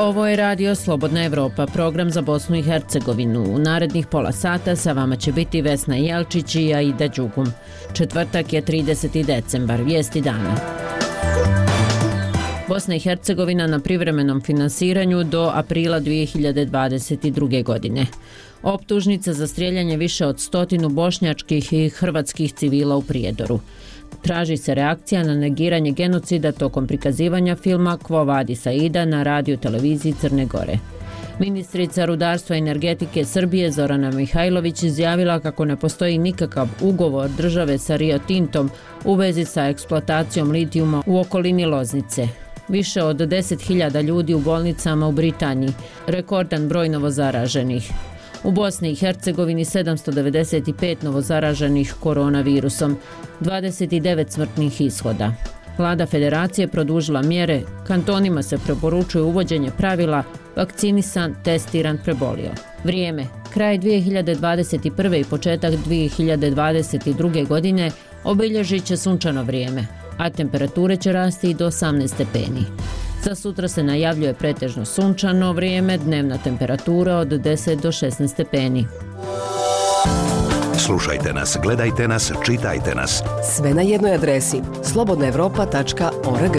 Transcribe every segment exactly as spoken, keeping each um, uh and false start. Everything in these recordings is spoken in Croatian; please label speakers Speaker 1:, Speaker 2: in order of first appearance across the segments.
Speaker 1: Ovo je Radio Slobodna Evropa, program za Bosnu i Hercegovinu. U narednih pola sata sa vama će biti Vesna Jelčić i Aida Đugum. Četvrtak je trideseti decembar, vijesti dana. Bosna i Hercegovina na privremenom finansiranju do aprila dvije hiljade dvadeset druge. godine. Optužnica za strijeljanje više od stotinu bošnjačkih i hrvatskih civila u Prijedoru. Traži se reakcija na negiranje genocida tokom prikazivanja filma Quo Vadis Aida na radio televiziji Crne Gore. Ministrica rudarstva i energetike Srbije Zorana Mihajlović izjavila kako ne postoji nikakav ugovor države sa Rio Tintom u vezi sa eksploatacijom litijuma u okolini Loznice. Više od deset hiljada ljudi u bolnicama u Britaniji, rekordan broj novozaraženih. U Bosni i Hercegovini sedamsto devedeset pet novozaraženih koronavirusom, dvadeset devet smrtnih ishoda. Vlada federacije produžila mjere, kantonima se preporučuje uvođenje pravila vakcinisan, testiran, prebolio. Vrijeme. Kraj dvije hiljade dvadeset prve i početak dvije hiljade dvadeset druge. godine obilježit će sunčano vrijeme, a temperature će rasti i do osamnaest stepeni. Za sutra se najavljuje pretežno sunčano vrijeme, dnevna temperatura od deset do šesnaest stepeni.
Speaker 2: Slušajte nas, gledajte nas, čitajte nas.
Speaker 3: Sve na jednoj adresi slobodna evropa tačka org.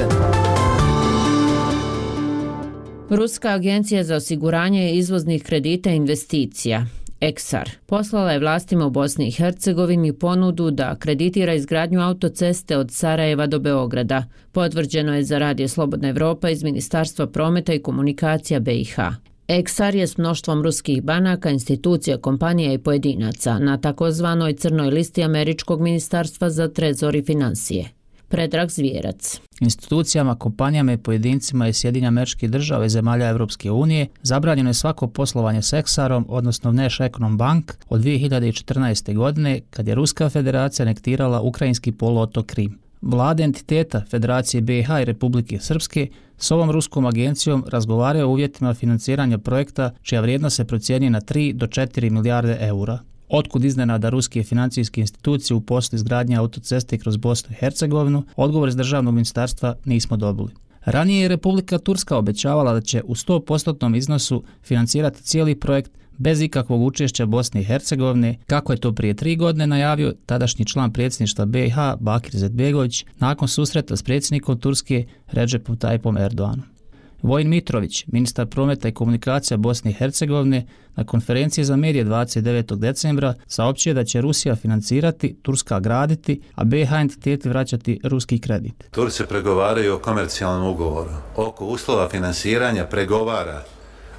Speaker 1: Ruska agencija za osiguranje izvoznih kredita i investicija Eksar poslala je vlastima u Bosni i Hercegovini ponudu da kreditira izgradnju autoceste od Sarajeva do Beograda. Potvrđeno je za Radio Slobodna Evropa iz Ministarstva prometa i komunikacija B i H. Eksar je s mnoštvom ruskih banaka, institucija, kompanija i pojedinaca na takozvanoj crnoj listi Američkog ministarstva za trezor i financije. Predrag Zvijerac.
Speaker 4: Institucijama, kompanijama i pojedincima iz Sjedinjenih Američkih Država i zemalja Europske unije zabranjeno je svako poslovanje s Eksarom, odnosno Vneš Ekonom Bank, od dvije hiljade četrnaeste. godine, kad je Ruska federacija anektirala ukrajinski poluotok Krim. Vlade entiteta Federacije B i H i Republike Srpske s ovom ruskom agencijom razgovaraju o uvjetima financiranja projekta čija vrijednost se procjenjuje na tri do četiri milijarde eura. Otkud iznenada ruske financijske institucije u poslu izgradnje autoceste kroz Bosnu i Hercegovinu, odgovor iz državnog ministarstva nismo dobili. Ranije je Republika Turska obećavala da će u sto posto iznosu financirati cijeli projekt bez ikakvog učešća Bosne i Hercegovine, kako je to prije tri godine najavio tadašnji član predsjedništva B i H Bakir Izetbegović nakon susreta s predsjednikom Turske Recepom Tayyipom Erdoganom. Vojin Mitrović, ministar prometa i komunikacija Bosne i Hercegovine, na konferenciji za medije dvadeset devetog decembra saopćio da će Rusija financirati, Turska graditi, a B i H entiteti vraćati ruski kredit.
Speaker 5: Turci pregovaraju o komercijalnom ugovoru. Oko uslova finansiranja pregovara,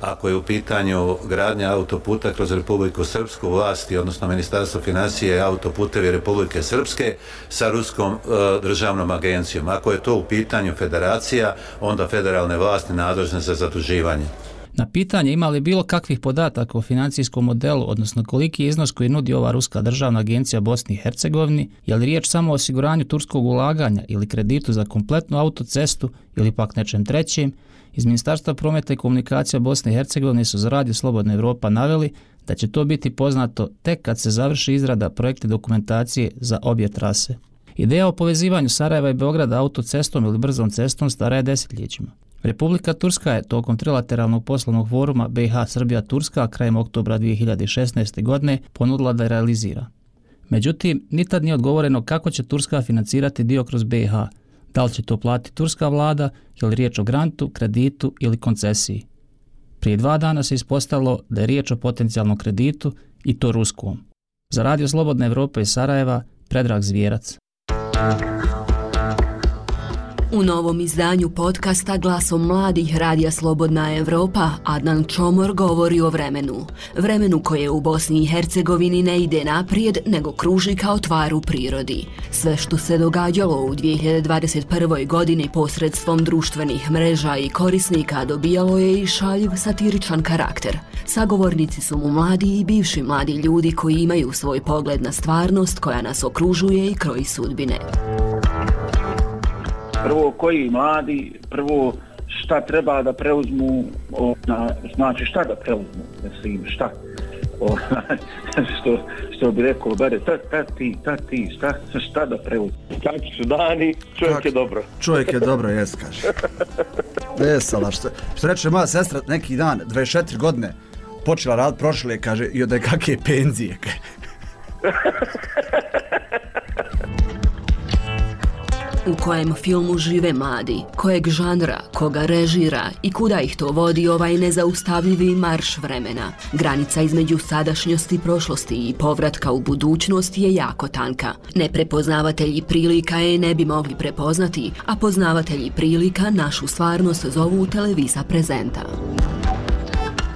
Speaker 5: ako je u pitanju gradnja autoputa kroz Republiku Srpsku, vlasti, odnosno Ministarstvo financije i autoputevi Republike Srpske sa Ruskom e, državnom agencijom. Ako je to u pitanju federacija, onda federalne vlasti nadležne za zaduživanje.
Speaker 4: Na pitanje ima li bilo kakvih podataka o financijskom modelu, odnosno koliki je iznos koji nudi ova Ruska državna agencija Bosni i Hercegovini, je li riječ samo o osiguranju turskog ulaganja ili kreditu za kompletnu autocestu ili pak nečem trećem, iz Ministarstva prometa i komunikacija Bosne i Hercegovine su za Radio Slobodna Evropa naveli da će to biti poznato tek kad se završi izrada projektne dokumentacije za obje trase. Ideja o povezivanju Sarajeva i Beograda autocestom ili brzom cestom stara je desetljećima. Republika Turska je tokom trilateralnog poslovnog foruma B i H Srbija Turska krajem oktobra dvije hiljade šesnaeste. godine ponudila da je realizira. Međutim, ni tad nije odgovoreno kako će Turska financirati dio kroz B i H. Da li će to platiti turska vlada, je li riječ o grantu, kreditu ili koncesiji. Prije dva dana se ispostavilo da je riječ o potencijalnom kreditu i to ruskom. Za Radio Slobodna Evropa iz Sarajeva, Predrag Zvijerac.
Speaker 3: U novom izdanju podcasta Glasom mladih Radija Slobodna Evropa Adnan Čomor govori o vremenu. Vremenu koje u Bosni i Hercegovini ne ide naprijed, nego kruži kao tvar u prirodi. Sve što se događalo u dvije hiljade dvadeset prvoj. godini posredstvom društvenih mreža i korisnika dobijalo je i šaljiv satiričan karakter. Sagovornici su mu mladi i bivši mladi ljudi koji imaju svoj pogled na stvarnost koja nas okružuje i kroji sudbine.
Speaker 6: Prvo, koji mladi, prvo šta treba da preuzmu, o, na, znači šta da preuzmu, mislim šta, o, što, što bi rekao, bare, ta, ta ti, ta ti, šta, šta da preuzmu.
Speaker 7: Kakvi su dani, čovjek je dobro.
Speaker 8: Čovjek je dobro, jes kaže.
Speaker 7: Vesela, što, što reče moja sestra neki dan, dvadeset četiri godine, počela rad prošle, kaže, i od kakve penzije.
Speaker 3: U kojem filmu žive mladi, kojeg žanra, koga režira i kuda ih to vodi ovaj nezaustavljivi marš vremena. Granica između sadašnjosti, prošlosti i povratka u budućnost je jako tanka. Neprepoznavatelji prilika je ne bi mogli prepoznati, a poznavatelji prilika našu stvarnost zovu Televisa Prezenta.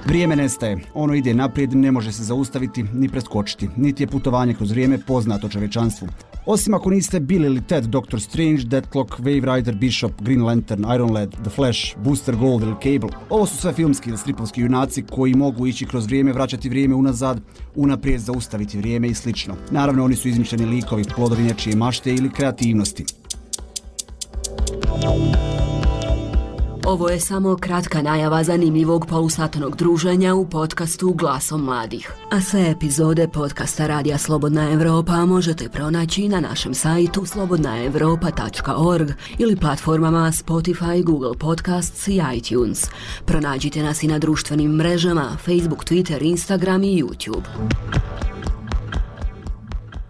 Speaker 7: Vrijeme nestaje, ono ide naprijed, ne može se zaustaviti ni preskočiti, niti je putovanje kroz vrijeme poznato čovečanstvu. Osim ako niste Bill ili Ted, Doctor Strange, Deathlock, Wave Rider, Bishop, Green Lantern, Iron Lad, The Flash, Booster Gold ili Cable. Ovo su sve filmski ili stripovski junaci koji mogu ići kroz vrijeme, vraćati vrijeme unazad, unaprijed zaustaviti vrijeme i slično. Naravno, oni su izmišljeni likovi, plodovi nečije mašte ili kreativnosti.
Speaker 3: Ovo je samo kratka najava zanimljivog polusatnog druženja u podcastu Glasom mladih. A sve epizode podcasta Radija Slobodna Evropa možete pronaći na našem sajtu slobodna evropa tačka org ili platformama Spotify, Google Podcasts i iTunes. Pronađite nas i na društvenim mrežama Facebook, Twitter, Instagram i YouTube.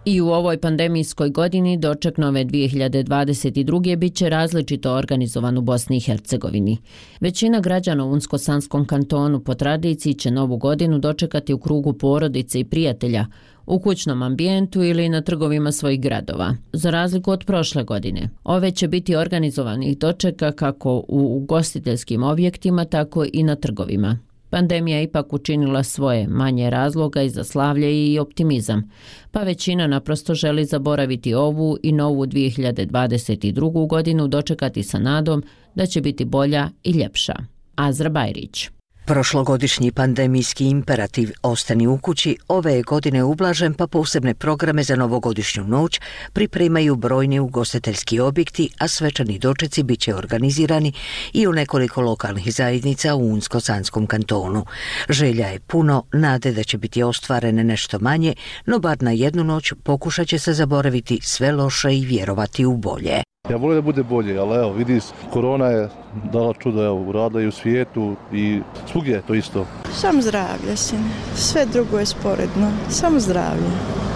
Speaker 1: I u ovoj pandemijskoj godini doček nove dvije hiljade dvadeset druge bit će različito organizovan u Bosni i Hercegovini. Većina građana u Unsko-Sanskom kantonu po tradiciji će novu godinu dočekati u krugu porodice i prijatelja, u kućnom ambijentu ili na trgovima svojih gradova. Za razliku od prošle godine, ove će biti organizovanih dočeka kako u ugostiteljskim objektima, tako i na trgovima. Pandemija je ipak učinila svoje, manje razloga i za slavlje i optimizam, pa većina naprosto želi zaboraviti ovu i novu dvije hiljade dvadeset drugu godinu dočekati sa nadom da će biti bolja i ljepša. Azra Bajrić.
Speaker 8: Prošlogodišnji pandemijski imperativ ostani u kući ove je godine ublažen, pa posebne programe za novogodišnju noć pripremaju brojni ugostiteljski objekti, a svečani dočeci bit će organizirani i u nekoliko lokalnih zajednica u Unsko-Sanskom kantonu. Želja je puno, nade da će biti ostvarene nešto manje, no bar na jednu noć pokušat će se zaboraviti sve loše i vjerovati u bolje.
Speaker 9: Ja volim da bude bolje, ali evo, vidi, korona je dala čudo, evo, uradila i u svijetu i svugdje je to isto.
Speaker 10: Samo zdravlje, sine. Sve drugo je sporedno. Samo zdravlje.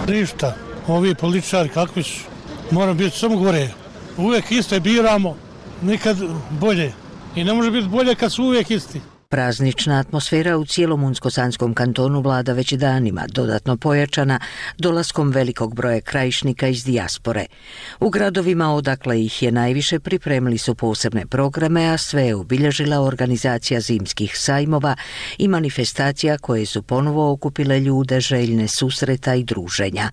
Speaker 11: Ništa. Ovi političari kakvi su, moram biti samo gore. Uvijek iste biramo, nikad bolje. I ne može biti bolje kad su uvijek isti.
Speaker 8: Praznična atmosfera u cijelom Unsko-Sanskom kantonu vlada već danima, dodatno pojačana dolaskom velikog broja krajišnika iz dijaspore. U gradovima odakle ih je najviše pripremili su posebne programe, a sve je obilježila organizacija zimskih sajmova i manifestacija koje su ponovo okupile ljude željne susreta i druženja.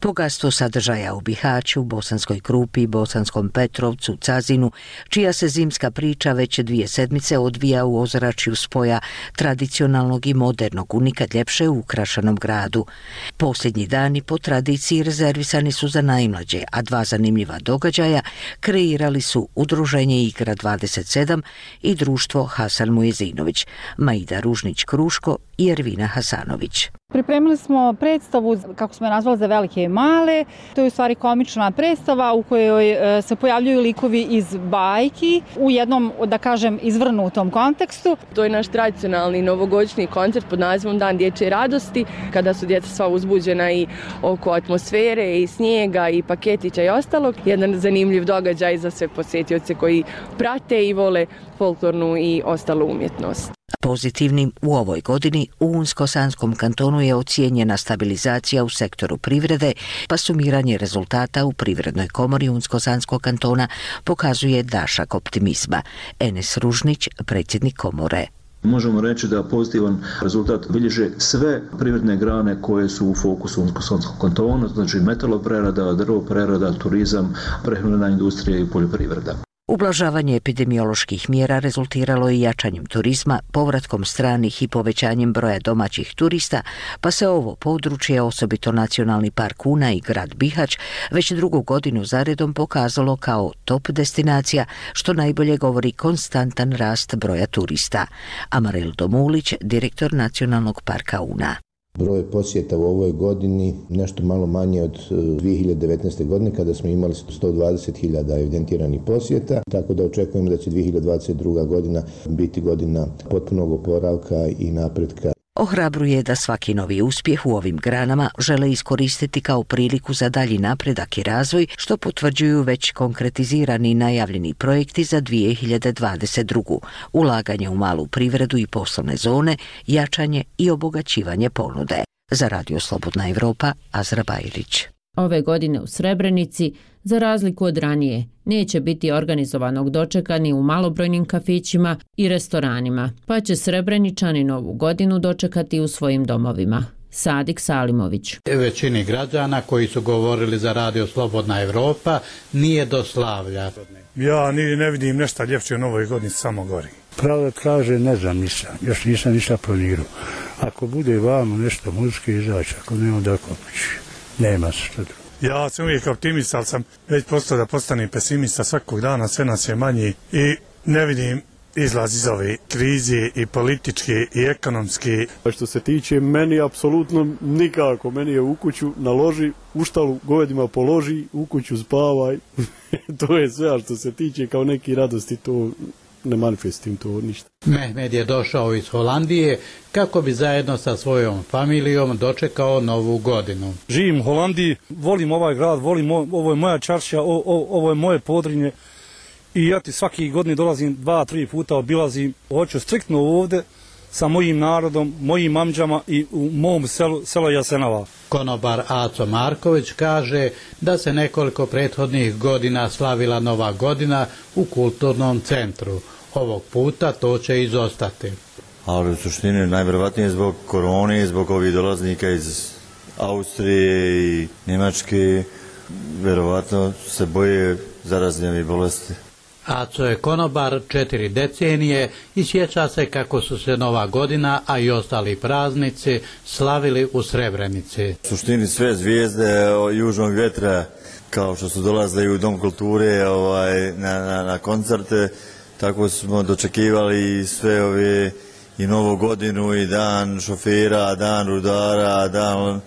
Speaker 8: Bogatstvo sadržaja u Bihaću, Bosanskoj Krupi, Bosanskom Petrovcu, Cazinu, čija se zimska priča već dvije sedmice odvija u ozračju spoja tradicionalnog i modernog u nikad ljepše ukrašenom gradu. Posljednji dani po tradiciji rezervisani su za najmlađe, a dva zanimljiva događaja kreirali su Udruženje Igra dvadeset sedam i društvo Hasan Mujezinović, Maida Ružnić-Kruško i Ervina Hasanović.
Speaker 12: Pripremili smo predstavu, kako smo je nazvali, za velike i male. To je u stvari komična predstava u kojoj se pojavljuju likovi iz bajki u jednom, da kažem, izvrnutom kontekstu.
Speaker 13: To je naš tradicionalni novogodišnji koncert pod nazivom Dan dječje radosti, kada su djeca sva uzbuđena i oko atmosfere i snijega i paketića i ostalog. Jedan zanimljiv događaj za sve posjetioce koji prate i vole folklornu i ostalu umjetnost.
Speaker 8: Pozitivnim u ovoj godini u Unsko-Sanskom kantonu je ocijenjena stabilizacija u sektoru privrede, pa sumiranje rezultata u Privrednoj komori Unsko-Sanskog kantona pokazuje dašak optimizma. Enes Ružnić, predsjednik komore.
Speaker 14: Možemo reći da pozitivan rezultat bilježe sve privredne grane koje su u fokusu Unsko-Sanskog kantona, znači metaloprerada, drvoprerada, turizam, prehrambena industrija i poljoprivreda.
Speaker 8: Ublažavanje epidemioloških mjera rezultiralo je jačanjem turizma, povratkom stranih i povećanjem broja domaćih turista, pa se ovo područje, osobito Nacionalni park Una i grad Bihać, već drugu godinu zaredom pokazalo kao top destinacija, što najbolje govori konstantan rast broja turista. Amarel Domulić, direktor Nacionalnog parka Una.
Speaker 15: Broj posjeta u ovoj godini nešto malo manje od dvije hiljade devetnaeste. godine kada smo imali sto dvadeset hiljada evidentiranih posjeta, tako da očekujemo da će dvije hiljade dvadeset druga. godina biti godina potpunog oporavka i napretka.
Speaker 8: Ohrabruje da svaki novi uspjeh u ovim granama žele iskoristiti kao priliku za dalji napredak i razvoj, što potvrđuju već konkretizirani i najavljeni projekti za dvije hiljade dvadeset drugu. Ulaganje u malu privredu i poslovne zone, jačanje i obogaćivanje ponude. Za Radio Slobodna Evropa, Azra Bajrić.
Speaker 1: Ove godine u Srebrenici, za razliku od ranije, neće biti organizovanog dočeka ni u malobrojnim kafićima i restoranima, pa će Srebreničani novu godinu dočekati u svojim domovima. Sadik Salimović.
Speaker 16: Većini građana koji su govorili za Radio Slobodna Evropa nije do slavlja.
Speaker 11: Ja ni ne vidim nešto ljepše u novoj godini, samo gori.
Speaker 17: Pravo kaže, ne znam nisam, još nisam ništa planirao. Ako bude vamo nešto muzičke izaći, ako nema da kopići, nema se što drugo.
Speaker 11: Ja sam uvijek optimist, ali sam već postao da postanem pesimista svakog dana, sve nas je manji i ne vidim izlaz iz ove krize i političke i ekonomske.
Speaker 18: Što se tiče meni, apsolutno nikako. Meni je u kuću naloži, u štalu govedima položi, u kuću spavaj. To je sve, a što se tiče kao neki radosti, to ne manifestim to ništa.
Speaker 16: Mehmed je došao iz Holandije kako bi zajedno sa svojom familijom dočekao novu godinu.
Speaker 11: Živim u Holandiji, volim ovaj grad, volim ovo je moja čaršija, o, o, ovo je moje Podrinje i ja ti svaki godini dolazim dva, tri puta obilazim. Hoću striktno ovdje sa mojim narodom, mojim amđama i u mom selu, selo Jasenova.
Speaker 16: Konobar Aco Marković kaže da se nekoliko prethodnih godina slavila nova godina u kulturnom centru. Ovog puta to će izostati.
Speaker 19: Ali u suštini najvjerovatnije zbog korone, zbog ovih dolaznika iz Austrije i Njemačke, vjerovatno se boje zaraznih bolesti.
Speaker 16: Aco je konobar četiri decenije i sjeća se kako su se Nova godina, a i ostali praznici slavili u Srebrenici.
Speaker 19: U suštini sve zvijezde južnog vjetra, kao što su dolazili u Dom kulture ovaj, na, na, na koncerte, tako smo dočekivali sve ove i Novu godinu i dan šofera, dan rudara, dan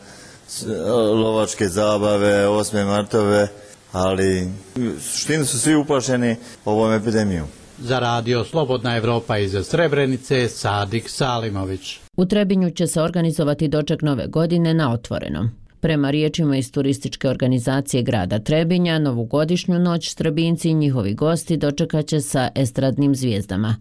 Speaker 19: lovačke zabave, osme martove. Ali u suštini su svi uplašeni ovom epidemijom.
Speaker 16: Za Radio Slobodna Evropa iz Srebrenice, Sadik Salimović.
Speaker 1: U Trebinju će se organizovati doček nove godine na otvorenom. Prema riječima iz turističke organizacije grada Trebinja, novogodišnju noć Trebinci i njihovi gosti dočekat će sa estradnim zvijezdama.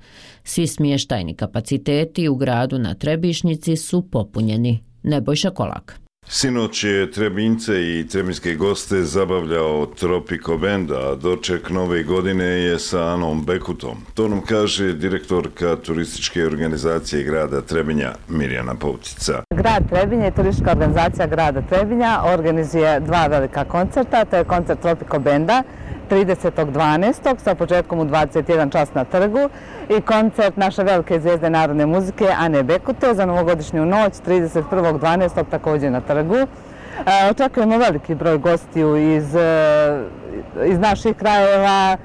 Speaker 1: Svi smještajni kapaciteti u gradu na Trebišnici su popunjeni. Nebojša Kolak.
Speaker 20: Sinoć je Trebince i trebinske goste zabavljao Tropico Band, a doček nove godine je sa Anom Bekutom. To nam kaže direktorka turističke organizacije grada Trebinja Mirjana Povtica.
Speaker 21: Grad Trebinje i turistička organizacija grada Trebinja organizuje dva velika koncerta. To je koncert Tropico Banda tridesetog dvanaestog sa početkom u dvadeset jedan čas na trgu i koncert naše velike zvijezde narodne muzike Ane Bekute za novogodišnju noć trideset prvog dvanaestog također na trgu. E, očekujemo veliki broj gostiju iz, iz naših krajeva,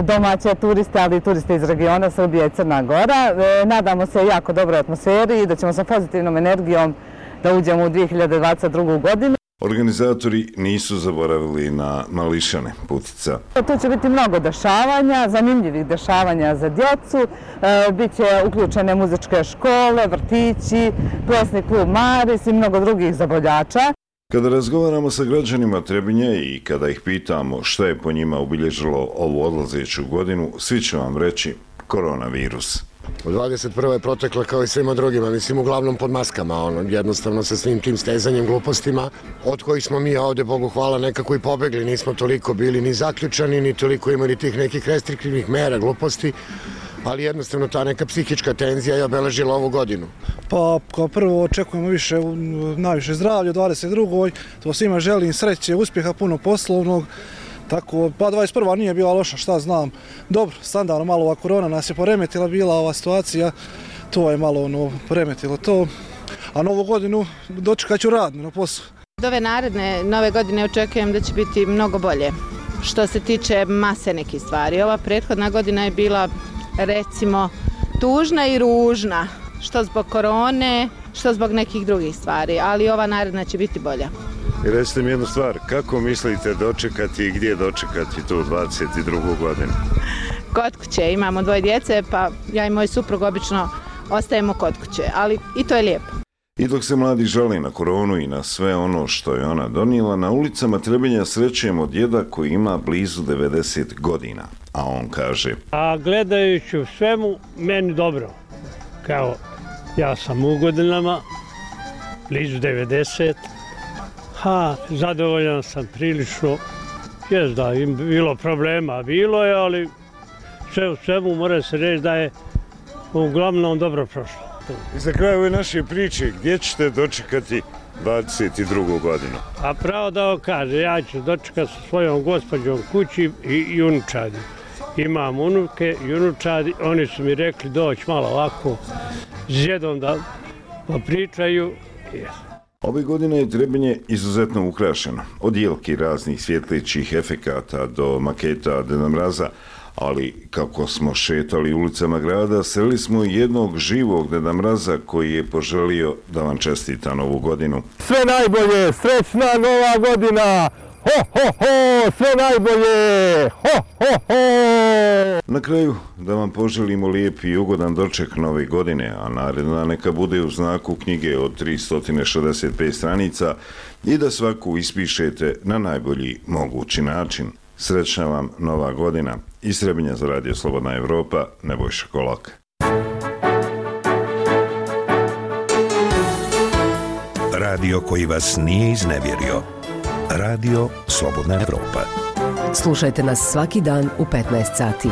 Speaker 21: domaće turiste, ali i turiste iz regiona Srbija i Crna Gora. E, nadamo se jako dobroj atmosferi i da ćemo sa pozitivnom energijom da uđemo u dvije hiljade dvadeset drugu. godinu.
Speaker 20: Organizatori nisu zaboravili na mališane, Putica.
Speaker 21: Tu će biti mnogo dešavanja, zanimljivih dešavanja za djecu. E, Biće uključene muzičke škole, vrtići, plesni klub Maris i mnogo drugih zabavljača.
Speaker 20: Kada razgovaramo sa građanima Trebinja i kada ih pitamo šta je po njima obilježilo ovu odlazeću godinu, svi će vam reći koronavirus.
Speaker 22: U dvadeset prvoj je protekla kao i svima drugima, mislim uglavnom pod maskama, ono, jednostavno sa svim tim stezanjem glupostima, od kojih smo mi ovdje, Bogu hvala, nekako i pobegli, nismo toliko bili ni zaključani, ni toliko imali tih nekih restriktivnih mera gluposti, ali jednostavno ta neka psihička tenzija je obeležila ovu godinu.
Speaker 23: Pa kao prvo očekujemo više, najviše zdravlja u dvadeset drugoj. To svima želim sreće, uspjeha, puno poslovnog. Tako, pa dvadeset prva nije bila loša, šta znam. Dobro, standardno malo ova korona nas je poremetila, bila ova situacija, to je malo ono, poremetilo to. A novu godinu dočekat ću radno na poslu.
Speaker 24: Od ove naredne nove godine očekujem da će biti mnogo bolje. Što se tiče mase nekih stvari, ova prethodna godina je bila recimo tužna i ružna. Što zbog korone, što zbog nekih drugih stvari, ali ova naredna će biti bolja.
Speaker 2: I recite mi jednu stvar, kako mislite dočekati i gdje dočekati tu dvadeset drugu godinu?
Speaker 24: Kod kuće, imamo dvoje djece, pa ja i moj suprug obično ostajemo kod kuće, ali i to je lijepo.
Speaker 20: I dok se mladi žali na koronu i na sve ono što je ona donijela, na ulicama Trebinja srećemo djeda koji ima blizu devedeset godina, a on kaže:
Speaker 4: A gledajući u svemu, meni dobro. Kao, ja sam u godinama, blizu devedeset, ha, zadovoljan sam prilično. Jes da, im bilo problema, bilo je, ali sve u svemu mora se reći da je uglavnom dobro prošlo.
Speaker 2: I za kraj ove naše priče, gdje ćete dočekati dvadeset drugu godinu?
Speaker 4: A pravo da vam kaže, ja ću dočekati sa svojom gospođom kući i unučadi. Imam unuke i unučadi, oni su mi rekli doći malo ovako s djedom da pričaju.
Speaker 20: Ove godine je Trebinje izuzetno ukrašeno, od jelki raznih svjetlećih efekata do maketa Deda Mraza, ali kako smo šetali ulicama grada, sreli smo jednog živog Deda Mraza koji je poželio da vam čestita novu godinu.
Speaker 5: Sve najbolje, srećna nova godina! Ho, ho, ho, sve najbolje! Ho, ho, ho!
Speaker 20: Na kraju da vam poželimo lijep i ugodan doček nove godine, a naredna neka bude u znaku knjige od tristo šezdeset pet stranica i da svaku ispišete na najbolji mogući način. Srećna vam nova godina. Iz Trebinja za Radio Slobodna Evropa, Nebojša Kolak.
Speaker 6: Radio koji vas nije iznevjerio. Radio Slobodna Evropa.
Speaker 25: Slušajte nas svaki dan u petnaest sati.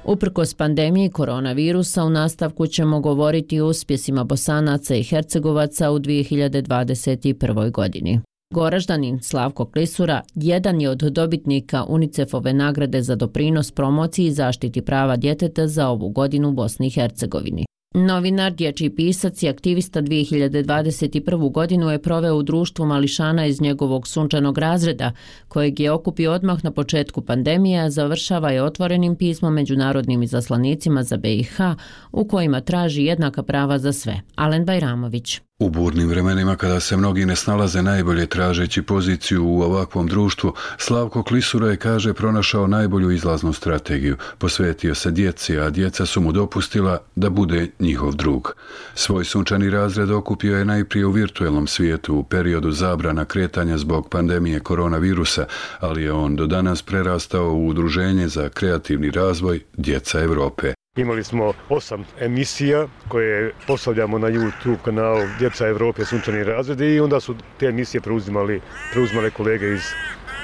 Speaker 1: Uprkos pandemiji koronavirusa, u nastavku ćemo govoriti o uspjesima Bosanaca i Hercegovaca u dvije hiljade dvadeset prvoj. godini. Goraždanin Slavko Klisura jedan je od dobitnika UNICEF-ove nagrade za doprinos promociji i zaštiti prava djeteta za ovu godinu u Bosni i Hercegovini. Novinar, dječji pisac i aktivista dvije hiljade dvadeset prvu. godinu je proveo u društvu mališana iz njegovog sunčanog razreda, kojeg je okupio odmah na početku pandemije, a završava je otvorenim pismom međunarodnim izaslanicima za B i H, u kojima traži jednaka prava za sve. Alen Bajramović.
Speaker 26: U burnim vremenima kada se mnogi ne snalaze najbolje tražeći poziciju u ovakvom društvu, Slavko Klisura je, kaže, pronašao najbolju izlaznu strategiju. Posvetio se djeci, a djeca su mu dopustila da bude njihov drug. Svoj sunčani razred okupio je najprije u virtuelnom svijetu u periodu zabrana kretanja zbog pandemije koronavirusa, ali je on do danas prerastao u udruženje za kreativni razvoj Djeca Evrope.
Speaker 18: Imali smo osam emisija koje postavljamo na YouTube kanalu Djeca Evrope sunčani razredi i onda su te emisije preuzimali, preuzimale kolege iz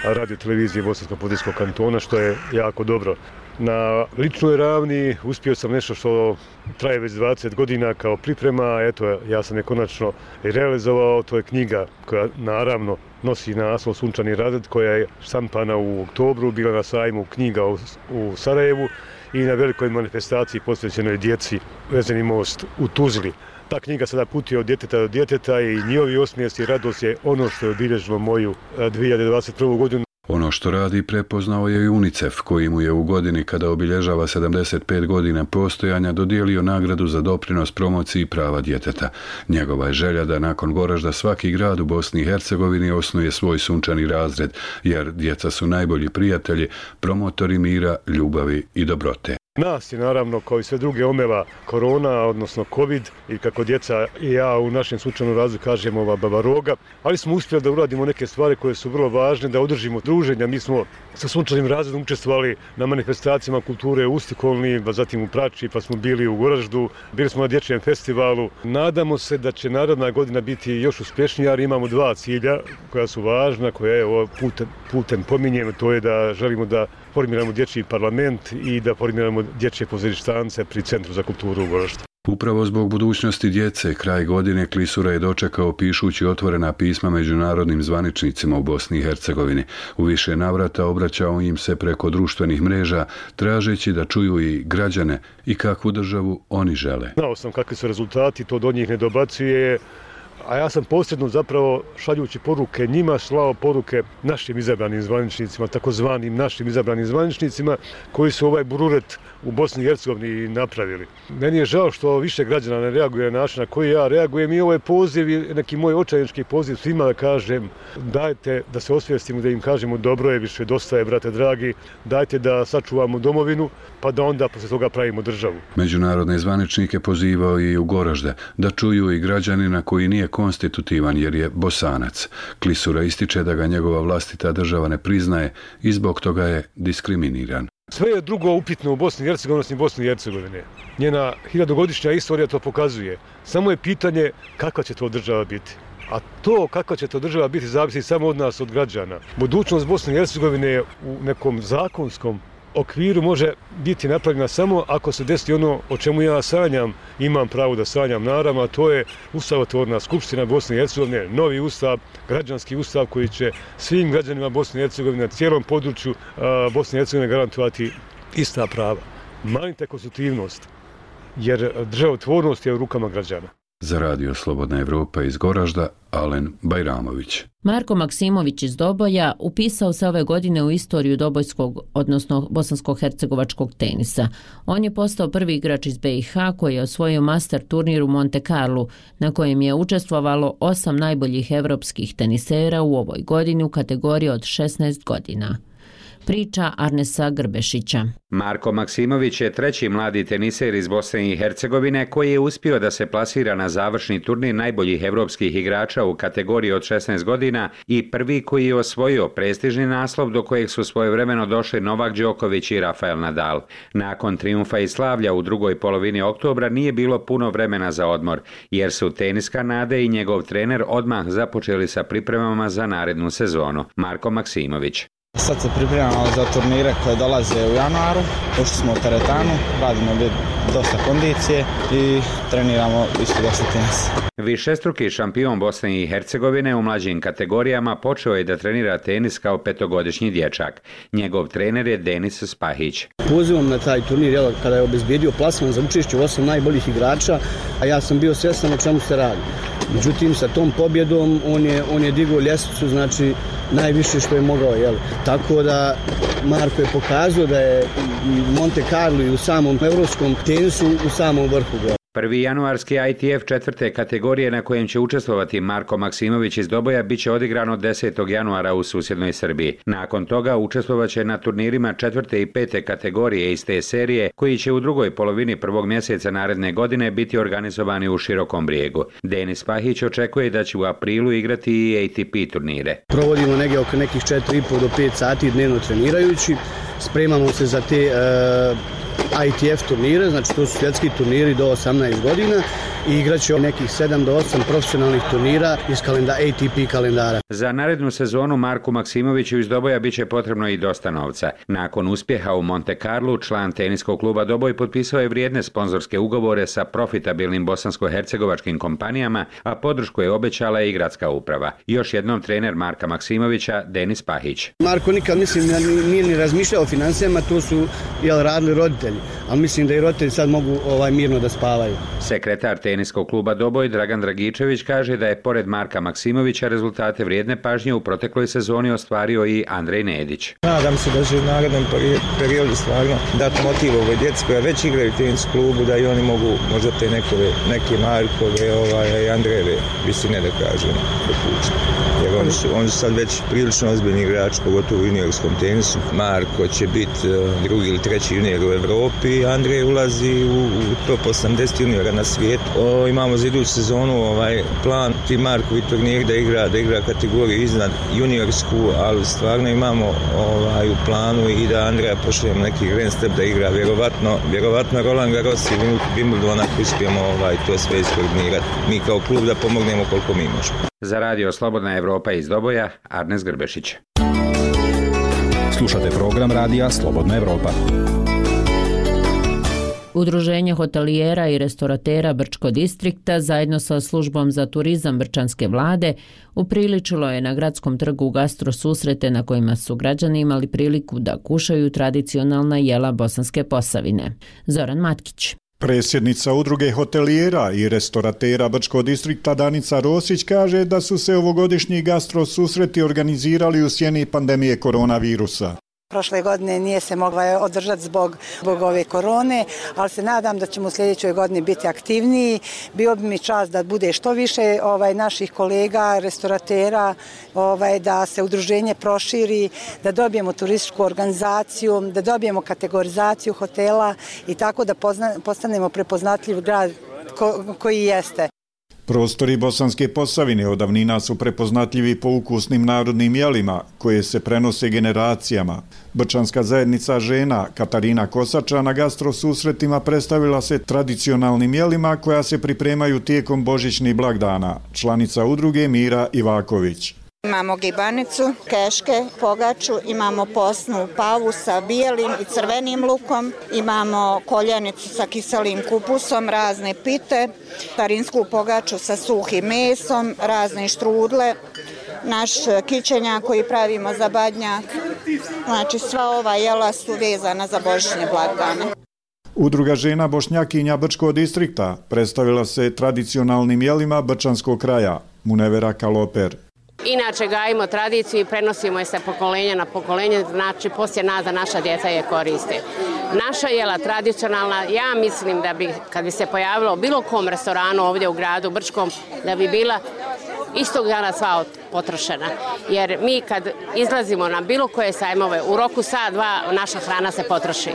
Speaker 18: radio televizije Bosansko-Podinjskog kantona, što je jako dobro. Na ličnoj ravni uspio sam nešto što traje već dvadeset godina kao priprema, eto ja sam je konačno realizovao, to je knjiga koja naravno nosi naslov Sunčani razred, koja je štampana u oktobru, bila na sajmu knjiga u, u Sarajevu i na velikoj manifestaciji posvećenoj djeci Vezeni most u Tuzli. Ta knjiga sada putuje od djeteta do djeteta i njihovi osmijesi i radost je ono što je obilježilo moju dvije hiljade dvadeset prvu. godinu.
Speaker 26: Ono što radi prepoznao je i UNICEF, koji mu je u godini kada obilježava sedamdeset pet godina postojanja dodijelio nagradu za doprinos promociji prava djeteta. Njegova je želja da nakon Goražda svaki grad u Bosni i Hercegovini osnuje svoj sunčani razred, jer djeca su najbolji prijatelji, promotori mira, ljubavi i dobrote.
Speaker 18: Nas je naravno, kao i sve druge, omela korona, odnosno covid, i kako djeca i ja u našem sunčanom razredu kažemo ova baba roga, ali smo uspjeli da uradimo neke stvari koje su vrlo važne, da održimo druženja. Mi smo sa sunčanim razredom učestvovali na manifestacijama kulture u Ustikolni, pa zatim u Prači, pa smo bili u Goraždu, bili smo na dječjem festivalu. Nadamo se da će naredna godina biti još uspješnija, jer imamo dva cilja koja su važna, koja je ovo putem, putem pominjem, to je da želimo da formiramo dječji parlament i da formiramo dječje pozorištance pri Centru za kulturu u Goraždu.
Speaker 26: Upravo zbog budućnosti djece, kraj godine Klisura je dočekao pišući otvorena pisma međunarodnim zvaničnicima u Bosni i Hercegovini. U više navrata obraćao im se preko društvenih mreža, tražeći da čuju i građane i kakvu državu oni žele.
Speaker 18: Znao sam kakvi su rezultati, to do njih ne dobacuje,
Speaker 3: a ja sam posredno zapravo šaljući poruke njima slao poruke našim izabranim zvaničnicima, takozvanim našim izabranim zvaničnicima koji su ovaj bururet u Bosni i Hercegovini napravili. Meni je žao što više građana ne reaguje na način na koji ja reagujem i ovo je poziv i neki moj očajnički poziv svima da kažem dajte da se osvijestimo, da im kažemo dobro je, više dosta je, brate dragi, dajte da sačuvamo domovinu pa da onda posle toga pravimo državu.
Speaker 26: Međunarodne zvaničnike pozivao i u Goražde da čuju i građanina koji nije konstitutivan jer je Bosanac. Klisura ističe da ga njegova vlastita država ne priznaje i zbog toga je diskriminiran.
Speaker 3: Sve je drugo upitno u Bosni i Hercegovini i Bosni i Hercegovine. Njena hiljadugodišnja istorija to pokazuje. Samo je pitanje kakva će to država biti. A to kakva će to država biti zavisi samo od nas, od građana. Budućnost Bosne i Hercegovine u nekom zakonskom okviru može biti napravljena samo ako se desi ono o čemu ja sanjam, imam pravo da sanjam naravno, a to je Ustavotvorna skupština Bosne i Hercegovine, novi ustav, građanski ustav koji će svim građanima Bosne i Hercegovine na cijelom području a, Bosne i Hercegovine garantovati ista prava. Manite konstitutivnost, jer državotvornost je u rukama građana.
Speaker 26: Za Radio Slobodna Evropa iz Goražda, Alen Bajramović.
Speaker 1: Marko Maksimović iz Doboja upisao se ove godine u istoriju dobojskog, odnosno bosansko-hercegovačkog tenisa. On je postao prvi igrač iz be i ha koji je osvojio master turnir u Monte Carlu, na kojem je učestvovalo osam najboljih evropskih tenisera u ovoj godini u kategoriji od šesnaest godina. Priča Arnesa Grbešića.
Speaker 7: Marko Maksimović je treći mladi teniser iz Bosne i Hercegovine koji je uspio da se plasira na završni turnir najboljih evropskih igrača u kategoriji od šesnaest godina i prvi koji je osvojio prestižni naslov do kojeg su svojevremeno došli Novak Đoković i Rafael Nadal. Nakon trijumfa i slavlja u drugoj polovini oktobra nije bilo puno vremena za odmor, jer su teniska Nade i njegov trener odmah započeli sa pripremama za narednu sezonu. Marko Maksimović.
Speaker 9: Sad se pripremamo za turnire koje dolaze u januaru, ušli smo u teretanu, radimo dosta kondicije i treniramo isto dosta tenisa.
Speaker 7: Višestruki šampion Bosne i Hercegovine u mlađim kategorijama počeo je da trenira tenis kao petogodišnji dječak. Njegov trener je Denis Spahić.
Speaker 10: Pozivam na taj turnir jel, kada je obezbijedio plasman za učešće u osam najboljih igrača, a ja sam bio svjestan o čemu se radi. Međutim, sa tom pobjedom on je, on je digao ljestvicu, znači najviše što je mogao. Jel. Tako da Marko je pokazao da je Monte Carlo i u samom evropskom tenisu u samom vrhu.
Speaker 7: Prvi januarski I T F četvrte kategorije na kojem će učestvovati Marko Maksimović iz Doboja biće odigrano desetog januara u susjednoj Srbiji. Nakon toga učestvovaće na turnirima četvrte i pete kategorije iz te serije koji će u drugoj polovini prvog mjeseca naredne godine biti organizovani u Širokom Brijegu. Denis Pahić očekuje da će u aprilu igrati i A T P turnire.
Speaker 10: Provodimo negdje oko nekih četiri i pol do pet sati dnevno trenirajući. Spremamo se za te uh... I T F turnire, znači to su svjetski turniri do osamnaest godina i igraće nekih sedam do osam profesionalnih turnira iz kalendara, A T P kalendara.
Speaker 7: Za narednu sezonu Marku Maksimoviću iz Doboja biće potrebno i dosta novca. Nakon uspjeha u Monte Carlu, član teniskog kluba Doboj potpisao je vrijedne sponzorske ugovore sa profitabilnim bosansko-hercegovačkim kompanijama, a podršku je obećala i gradska uprava. Još jednom trener Marka Maksimovića, Denis Pahić.
Speaker 10: Marko nikad mislim nije ni razmišljao o financijama, to su jel, radili roditelji, ali mislim da i roditelji sad mogu ovaj, mirno da spavaju.
Speaker 7: Sekretar teniskog kluba Doboj Dragan Dragičević kaže da je pored Marka Maksimovića rezultate vrijedne pažnje u protekloj sezoni ostvario i Andrej Nedić.
Speaker 12: Nadam se da će u narednom periodu stvarno dati motiv ovoj djeci koja već igraju u tenis klubu, da i oni mogu možda te nekove, neke Markove ovaj, i Andrejeve visine da kažem dopučiti. Jer oni su, oni su sad već prilično ozbiljni igrači, pogotovo u juniorskom tenisu. Marko će biti drugi ili treći junior u Evropi, Andrej ulazi u, u top osamdeset juniora na svijetu. O, imamo za iduću sezonu ovaj plan ti Markovi turnir da igra, da igra kategoriju iznad juniorsku, ali stvarno imamo ovaj, u planu i da Andreja pošaljemo neki grand step da igra vjerovatno, vjerovatno Roland Garros i Wimbledon ako uspijemo ovaj, to sve iskoordinirati. Mi kao klub da pomognemo koliko mi možemo.
Speaker 7: Za Radio Slobodna Evropa iz Doboja, Arnes Grbešić.
Speaker 13: Slušate program Radija Slobodna Evropa.
Speaker 1: Udruženje hotelijera i restoratera Brčko distrikta zajedno sa službom za turizam Brčanske vlade upriličilo je na gradskom trgu gastro susrete na kojima su građani imali priliku da kušaju tradicionalna jela Bosanske Posavine. Zoran Matkić.
Speaker 8: Predsjednica udruge hotelijera i restoratera Brčkog distrikta Danica Rosić kaže da su se ovogodišnji gastro susreti organizirali u sjeni pandemije koronavirusa.
Speaker 11: Prošle godine nije se mogla održati zbog, zbog ove korone, ali se nadam da ćemo u sljedećoj godini biti aktivniji. Bio bi mi čast da bude što više ovaj, naših kolega, restoratera, ovaj, da se udruženje proširi, da dobijemo turističku organizaciju, da dobijemo kategorizaciju hotela i tako da pozna, postanemo prepoznatljiv grad ko, koji jeste.
Speaker 8: Prostori Bosanske Posavine od davnina su prepoznatljivi po ukusnim narodnim jelima koje se prenose generacijama. Brčanska zajednica žena Katarina Kosača na gastro susretima predstavila se tradicionalnim jelima koja se pripremaju tijekom božićnih blagdana. Članica udruge Mira Ivaković.
Speaker 14: Imamo gibanicu, keške, pogaču, imamo posnu pavu sa bijelim i crvenim lukom, imamo koljenicu sa kiselim kupusom, razne pite, starinsku pogaču sa suhim mesom, razne štrudle, naš kićenjak koji pravimo za badnjak. Znači sva ova jela su vezana za božićne blagdane.
Speaker 8: Udruga žena Bošnjakinja Brčkog distrikta predstavila se tradicionalnim jelima brčanskog kraja, Munevera Kaloper.
Speaker 15: Inače gajimo tradiciju i prenosimo je sa pokolenja na pokolenje, znači poslije nas da naša djeca je koriste. Naša jela tradicionalna, ja mislim da bi, kad bi se pojavilo u bilo kom restoranu ovdje u gradu Brčkom, da bi bila istog dana sva potrošena. Jer mi kad izlazimo na bilo koje sajmove, u roku sat, dva, naša hrana se potroši.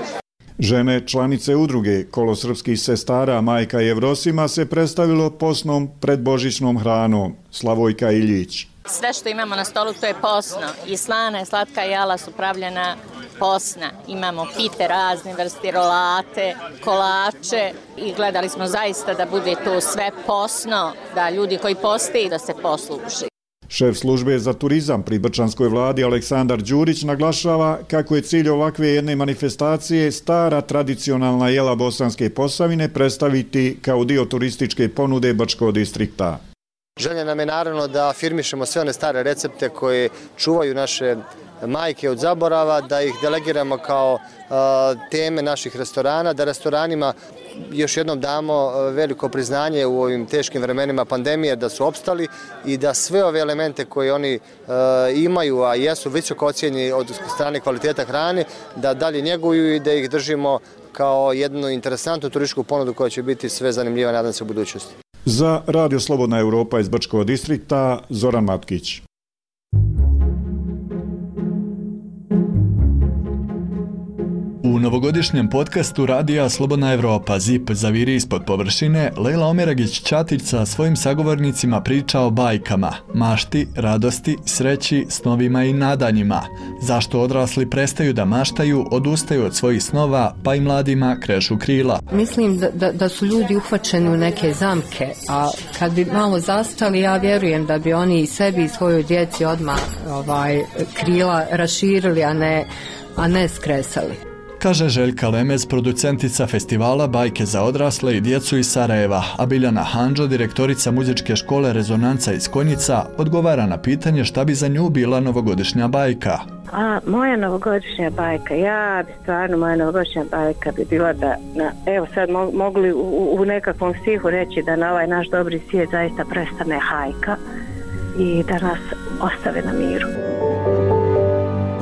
Speaker 8: Žene članice udruge Kolo srpskih sestara Majka i Evrosima se predstavilo posnom predbožićnom hranom. Slavojka Iljić.
Speaker 17: Sve što imamo na stolu to je posno. I slana i slatka jela su pravljena posna. Imamo pite razne vrste, rolate, kolače i gledali smo zaista da bude to sve posno, da ljudi koji poste i da se posluži.
Speaker 8: Šef službe za turizam pri brčanskoj vladi Aleksandar Đurić naglašava kako je cilj ovakve jedne manifestacije stara tradicionalna jela Bosanske Posavine predstaviti kao dio turističke ponude Brčkog distrikta.
Speaker 19: Želja nam je naravno da afirmišemo sve one stare recepte koje čuvaju naše majke od zaborava, da ih delegiramo kao teme naših restorana, da restoranima još jednom damo veliko priznanje u ovim teškim vremenima pandemije da su opstali i da sve ove elemente koje oni imaju, a jesu visoko ocijenjeni od strane kvaliteta hrane, da dalje njeguju i da ih držimo kao jednu interesantnu turističku ponudu koja će biti sve zanimljiva, nadam se, u budućnosti.
Speaker 8: Za Radio Slobodna Europa iz Brčkog distrikta, Zoran Matkić.
Speaker 27: U novogodišnjem podcastu Radija Slobodna Evropa Zip zaviri ispod površine, Lejla Omeragić-Ćatić sa svojim sagovornicima priča o bajkama, mašti, radosti, sreći, snovima i nadanjima. Zašto odrasli prestaju da maštaju, odustaju od svojih snova, pa i mladima krešu krila.
Speaker 28: Mislim da, da, da su ljudi uhvaćeni u neke zamke, a kad bi malo zastali, ja vjerujem da bi oni i sebi i svojoj djeci odmah ovaj, krila raširili, a ne, a ne skresali.
Speaker 27: Kaže Željka Lemez, producentica festivala Bajke za odrasle i djecu iz Sarajeva, a Biljana Handžo, direktorica muzičke škole Rezonanca iz Konjica, odgovara na pitanje šta bi za nju bila novogodišnja bajka.
Speaker 29: A, moja novogodišnja bajka, ja bi stvarno, moja novogodišnja bajka bi bila da, na, evo sad mo, mogli u, u nekakvom stihu reći da na ovaj naš dobri svijet zaista prestane hajka i da nas ostave na miru.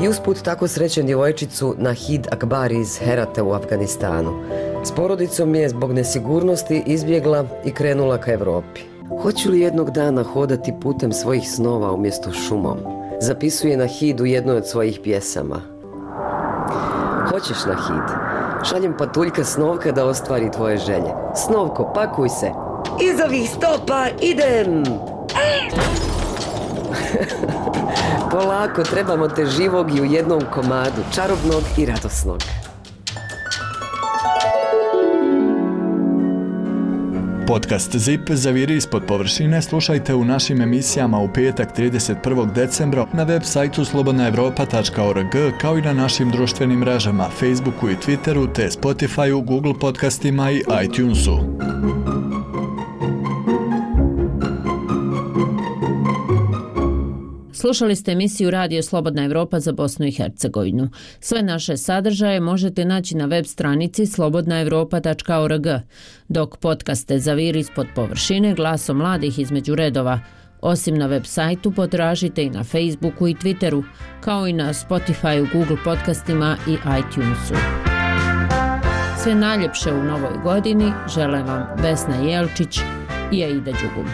Speaker 25: I usput tako srećen djevojčicu Nahid Akbari iz Herate u Afganistanu. S porodicom je zbog nesigurnosti izbjegla i krenula ka Evropi. Hoću li jednog dana hodati putem svojih snova umjesto šumom? Zapisuje Nahid u jednoj od svojih pjesama. Hoćeš, Nahid? Šaljem patuljka Snovka da ostvari tvoje želje. Snovko, pakuj se. Iz ovih stopa idem! Polako, trebamo te živog i u jednom komadu, čarobnog i radosnog.
Speaker 27: Podcast Zip zaviri ispod površine slušajte u našim emisijama u petak trideset prvog decembra na web sajtu slobodna evropa tačka org kao i na našim društvenim mrežama Facebooku i Twitteru te Spotifyu, Google podcastima i iTunesu.
Speaker 1: Slušali ste emisiju Radio Slobodna Evropa za Bosnu i Hercegovinu. Sve naše sadržaje možete naći na web stranici slobodna evropa tačka org, dok podcaste Zaviri ispod površine, glasom mladih između redova. Osim na web sajtu, potražite i na Facebooku i Twitteru, kao i na Spotifyu, Google podcastima i iTunesu. Sve najljepše u novoj godini žele vam Vesna Jelčić i Aida Đugum.